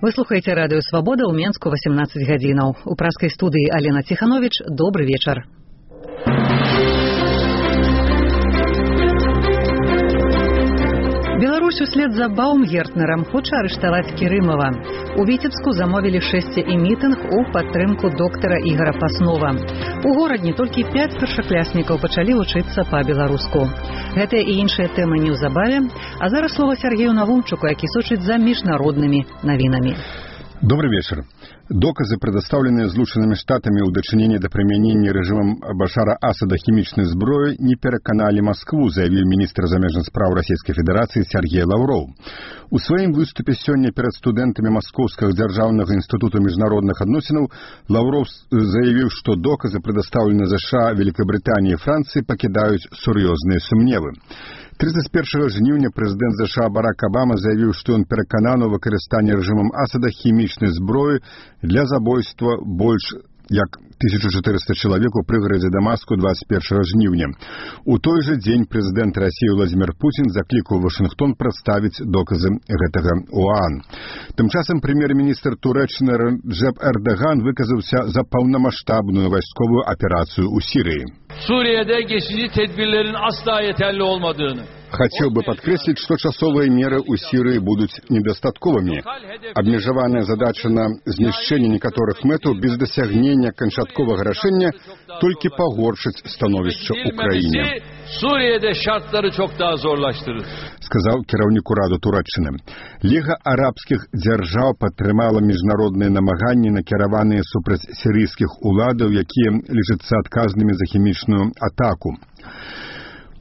Вы слухаеце радыё «Свабода» ў Менску 18 гадзінаў. У праскай студыі Алена Ціхановіч. Добры вечар. Беларусь услед за Баумгертнерам хоча арыштаваць Кірымова. У Віцебску замовілі шэсце і мітынг у падтрымку доктара Ігора Паснова. У горадні толькі 5 першакляснікаў пачалі вучыцца па-беларуску. Гэтыя і іншыя тэмы неўзабаве. А зараз слова Сергею Навумчуку, які сочыць за міжнароднымі навінамі. Добрый вечер. Доказы, предоставленные Злученными Штатами ў дачыненні да прымянення рэжымам Башара Асада хімічнай зброі, не пераканалі Маскву, заявіў міністр замежных спраў Расійскай Федэрацыі Сергей Лавров. У сваім выступе сёння перад студэнтамі Маскоўскага дзяржаўнага інстытута міжнародных адносінаў Лавров заявіў, што доказы, предоставленыя США, Великобрытаніі і Францыі, пакідаюць сур'ёзныя сумневы. 31 жніўня прэзідэнт США Барак Абама заявіў, што ён перакананы ў выкарыстанні рэжымам Асада хімічнай зброі для забойства больш як 1400 чалавек у прыгарадзе Дамаску 21 жніўня. У той жа дзень прэзідэнт Расіі Владзімір Пуцін заклікаў Вашынгтон прадставіць доказы гэтага ОАН. Тым часам прэм'ер-міністр Турэччыны Реджеп Эрдоган выказаўся за паўнамасштабную вайсковую аперацыю ў Сирии. Suriye'de geçici tedbirlerin asla yeterli olmadığını. Хотел бы подкреслить, что часовые меры у Сирии будут недостатковыми. Обмежаваная задача на знішчэнне некаторых мэтаў без дасягнення канчатковага рашэння толькі пагоршыць становішча ў краіне. Suriye'de şartları çok daha zorlaştırır. Сказаў кіраўнік ураду Турэччыны. Ліга арабскіх дзяржаў падтрымала міжнародныя намаганні, накіраваныя супраць сірыйскіх уладаў, якія лічацца адказнымі за хімічную атаку.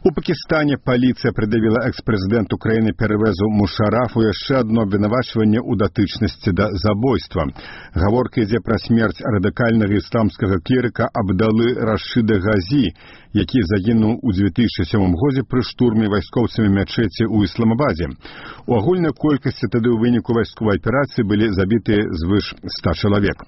У Пакістане паліцыя прыдавіла экс-прэзідэнту краіны Первезу Мушарафу яшчэ адно абвінавачванне ў датычнасці да забойства. Гаворка ідзе пра смерць радыкальнага ісламскага клірыка Абдалы Рашыда Газі, які загінуў у 2007 годзе пры штурме вайскоўцамі мячэці ў Ісламабадзе. У агульнай колькасці тады ў выніку вайсковай аперацыі былі забітыя звыш 100 чалавек.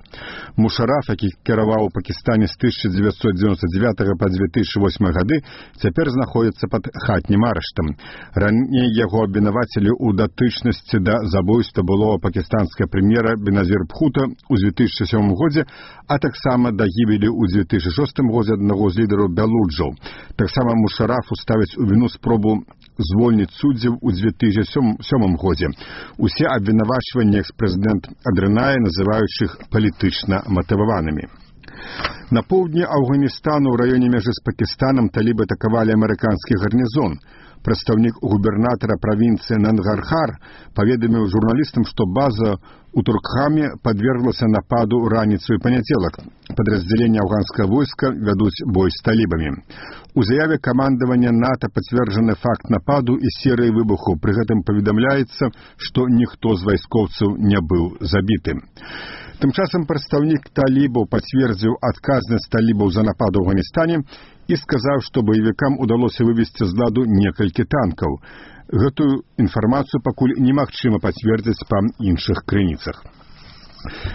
Мушараф, які кіраваў у Пакістане з 1999 па 2008 гады, цяпер знаходзіцца пад хатнім арыштам. Раней яго абвінавацілі ў датычнасці да забойства былога пакістанскага прэм'ера Беназір Бхута ў 2007 годзе, а таксама да гібелі ў 2006 годзе аднаго з лідараў Бялуджаў. Таксама Мушарафу ставяць у віну спробу звольніць суддзяў у 2007 годзе. Усе абвінавачванні экс-прэзідэнт адрынае, называючы іх палітычна матываванымі. На поўдні Афганістану ў раёне мяжы з Пакістанам талібы атакавалі амерыканскі гарнізон. Прадстаўнік губернатара правінцыі Нангархар паведаміў журналістам, што база у Туркхаме падверглася нападу раніцу і панядзелак. Падраздзяленні афганскага войска вядуць бой з талібамі. У заяве камандавання НАТО пацверджаны факт нападу і серыі выбухаў. Пры гэтым паведамляецца, што ніхто з вайскоўцаў не быў забіты. Тым часам прадстаўнік талібаў пацвердзіў адказнасць талібаў за напад у Афганістане і сказаў, што баевікам удалося вывесці з ладу некалькі танкаў. Гэтую інфармацыю пакуль немагчыма пацвердзіць па іншых крыніцах.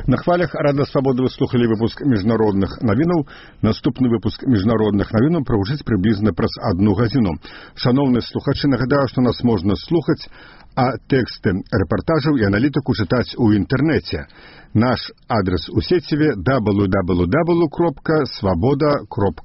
На хвалях Радыё Свабода вы слухалі выпуск міжнародных навінаў. Наступны выпуск міжнародных навінаў прагучыць прыблізна праз 1 гадзіну. Шаноўныя слухачы, нагадаю, што нас можна слухаць, а тэксты рэпартажаў і аналітыку чытаць у інтэрнэце. Наш адрес у сеціве www.swaboda.org.